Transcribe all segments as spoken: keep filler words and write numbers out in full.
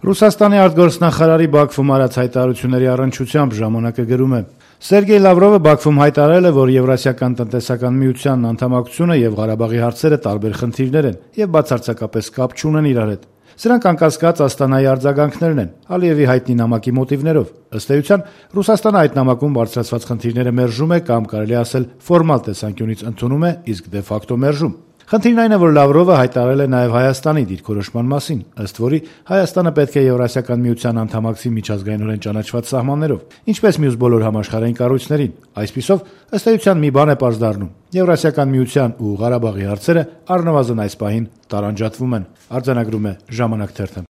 Ռուսաստանի արտգործնախարարի Բաքվում արած հայտարարությունների առնչությամբ «Ժամանակ»-ը գրում է. Սերգեյ Լավրովը Բաքվում հայտարարել է, որ Եվրասիական տնտեսական միությանն անդամակցությունը եւ Ղարաբաղի հարցերը տարբեր խնդիրներ են եւ բացարձակապես կապ չունեն իրար հետ։ Սրանք անկասկած Աստանայի արձագանքներն են, Ալիևի հայտնի նամակի մոտիվներով։ Ըստ էության, Ռուսաստանը այդ նամակում բարձրացված խնդիրները մերժում է կամ կարելի ասել ֆորմալ տեսանկյունից ընդունում է, իսկ դե ֆակտո մերժում։ Խնդիրն այն է, որ Լավրովը հայտարարել է նաև Հայաստանի դիրքորոշման մասին, ըստ որի Հայաստանը պետք է Եվրասիական միության անդամակցի միջազգայինորեն ճանաչված սահմաններով, ինչպես մյուս բոլոր համաշխարհային կառույցներին։ Այսպիսով, ըստ էության մի բան է պարզ դառնում. Եվրասիական միության ու Ղարաբաղի հարցերը առնվազն այս պահին տարանջատվում են, արձանագրում է «Ժամանակ» թերթը։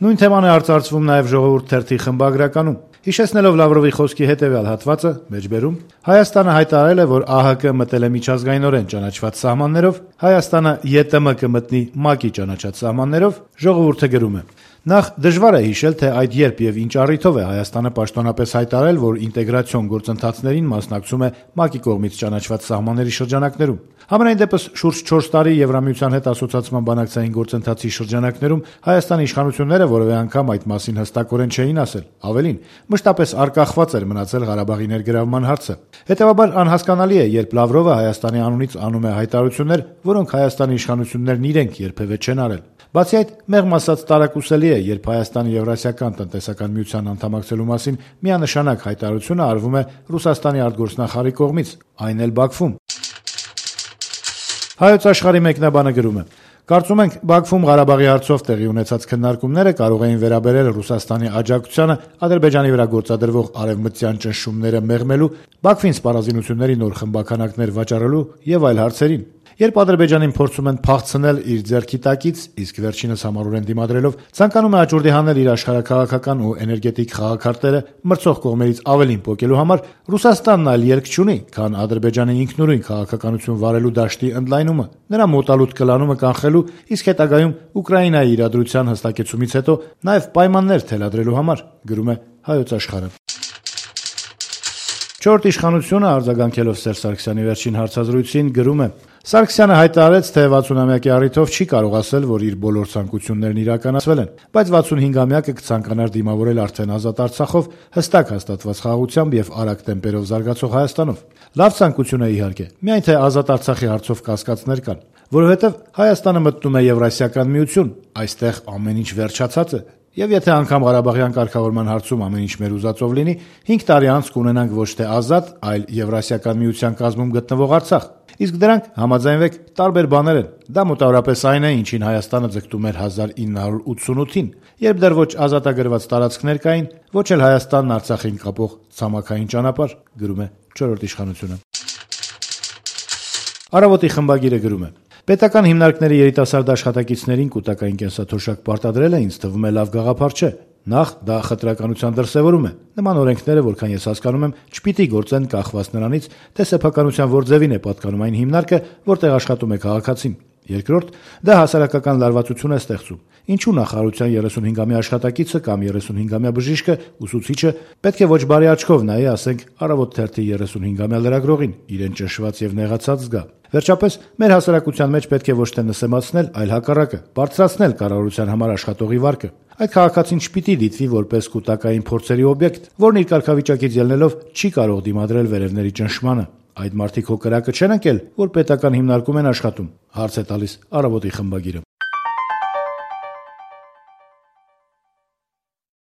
Նույն թեման է արծարծվում նաև «Ժողովուրդ» թերթի խմբագրականում։ Հիշեցնելով Լավրովի խոսքի հետևյալ հատվածը, մեջբերում, Հայաստանը հայտարարել է, որ ԱՀԿ մտել է միջազգայինորեն ճանաչված սահմաններով, Հայաստանը ԵՏՄ կմտնի ՄԱԿ-ի ճանաչած սահմաններով, «Ժողովուրդ»-ը գրում է. Նախ դժվար է հիշել, թե այդ երբ եւ ինչ առիթով է Հայաստանը պաշտոնապես հայտարարել, որ ինտեգրացիոն գործընթացներին մասնակցում է ՄԱԿ-ի կողմից ճանաչված սահմանների շրջանակներում։ Համենայն դեպս շուրջ չորս տարի Եվրամիության հետ ասոցիացման բանակցային գործընթացի շրջանակներում Հայաստանի իշխանությունները որևէ անգամ այդ մասին հստակորեն չէին ասել։ Ավելին, մշտապես արկախված էր մնացել Ղարաբաղի ներգրավման հարցը։ Հետևաբար անհասկանալի է, երբ Լավրովը Հայաստանի անունից անում է հայտարարություններ, որոնք Հայաստանի իշխանություններն իրենք երբևէ չեն արել։ Բացի այդ, մեղմ ասած տարակուսելի է, երբ Հայաստանի Եվրասիական տնտեսական միության անդամակցելու մասին միանշանակ հայտարարությունը արվում է Ռուսաստանի արտգործնախարարի կողմից, այն էլ Բաքվում։ Հայոց Աշխարհի մեկնաբանը գրում է. Կարծում ենք, Բաքվում Ղարաբաղի հարցով տեղի ունեցած քննարկումները կարող էին վերաբերել Ռուսաստանի աջակցությանը Ադրբեջանի վրա գործադրվող արևմտյան ճնշումները մեղմելու, Բաքվին սպառազինությունների նոր խմբաքանակներ վաճառելու եւ այլ հարցերին։ Երբ Ադրբեջանին փորձում են փախցնել իր ձեռքի տակից, իսկ վերջինս համառորեն դիմադրելով ցանկանում է աճուրդի հանել իր աշխարհաքաղաքական ու էներգետիկ խաղաքարտերը մրցող կողմերից ավելին պոկելու համար, Ռուսաստանն այլ ելք չունի, քան Ադրբեջանի ինքնուրույն քաղաքականություն վարելու դաշտի ընդլայնումը, նրա մոտալուտ կլանումը կանխելու, իսկ հետագայում Ուկրաինայի իրադրության հստակեցումից հետո նաև պայմաններ թելադրելու համար, գրում է Հայոց Աշխարհը։ Չորրորդ իշխանությունը արձագանքելով Սերժ Սարգսյանի վերջին հարցազրույցին գրում է. Սարգսյանը հայտարարեց, թե վաթսունամյակի առիթով չի կարող ասել, որ իր բոլոր ցանկություններն իրականացվել են, բայց վաթսունհինգամյակը կցանկանար դիմավորել արդեն ազատ Արցախով, հստակ հաստատված խաղաղությամբ եւ արագ տեմպերով զարգացող Հայաստանով։ Լավ ցանկություն է իհարկե, միայն թե ազատ Արցախի հարցով կասկածներ կան, որովհետեւ Հայաստանը մտնում է Եվրասիական միություն, այստեղ ամեն ինչ վերջացած է։ Եվ եթե անգամ Ղարաբաղյան կարգավորման հարցում ամեն ինչ մեր ուզածով լինի, հինգ տարի անց կունենանք ոչ թե ազատ, այլ Եվրասիական միության կազմում գտնվող Արցախ։ Իսկ դրանք, համաձայնվեք, տարբեր բաներ են։ Դա մոտավորապես այն է, ինչին Հայաստանը ձգտում էր հազար ինը հարյուր ութսունութին, երբ դեռ ոչ ազատագրված տարածքներ կային, ոչ էլ Հայաստանն Արցախին կապող ցամաքային ճանապարհ, գրում է չորրորդ իշխանությունը։ Առավոտի խմբագիրը գրում է. Պետական հիմնարկների երիտասարդ աշխատակիցներին կൂട്ടակային կենսաթոշակ պարտադրելը ինձ թվում է լավ գաղափար չէ։ Նախ դա խտրականության դրսևորում է։ Նման օրենքները, որքան ես հասկանում եմ, չպիտի գործեն կախված նրանից, թե սեփականության որ ձևին է պատկանում այն հիմնարկը, որտեղ աշխատում է քաղաքացին։ Երկրորդ, դա հասարակական լարվածություն է ստեղծում։ Ինչու նախարարության երեսունհինգամյա աշխատակիցը կամ երեսունհինգամյա բժիշկը, ուսուցիչը պետք է ոչ բարի աչքով նայի, ասենք, Առավոտ թերթի երեսունհինգամյա լրագրողին, իրեն ճնշված եւ նեղացած զգա։ Վերջապես, մեր հասարակության մեջ պետք է ոչ թե նսեմացնել, այլ հակառակը, բարձրացնել կառավարության համար աշխատողի վարկը։ Այդ քաղաքացին չպիտի դիտվի որպես կൂട്ടակային փորձերի օբյեկտ, որն իր կարգավիճակից ելնելով չի կարող դիմադրել վերևների ճնշմանը։ Այդ մարդիկ հո կրակը չեն ընկել, որ պետական հիմնարկում են աշխատում, հարց է տալիս Առավոտի խմբագիրը։